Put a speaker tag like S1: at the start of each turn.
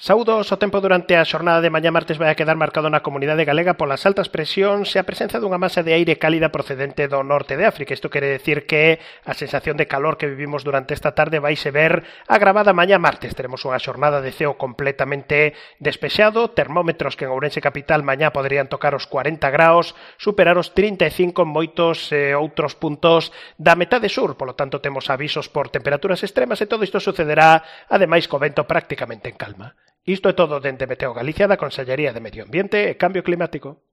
S1: Saúdos, o tempo durante a xornada de mañá martes vai a quedar marcado na comunidade galega polas altas presións e a presenza dunha masa de aire cálida procedente do norte de África. Isto quere decir que a sensación de calor que vivimos durante esta tarde vaise ver agravada mañá martes. Teremos unha xornada de ceo completamente despexado, termómetros que en Ourense capital mañá poderían tocar os 40 graus, superar os 35 en moitos outros puntos da metade sur. Polo tanto, temos avisos por temperaturas extremas e todo isto sucederá, ademais, co vento prácticamente en calma. Isto é todo dende Meteo Galicia da Consellería de Medio Ambiente e Cambio Climático.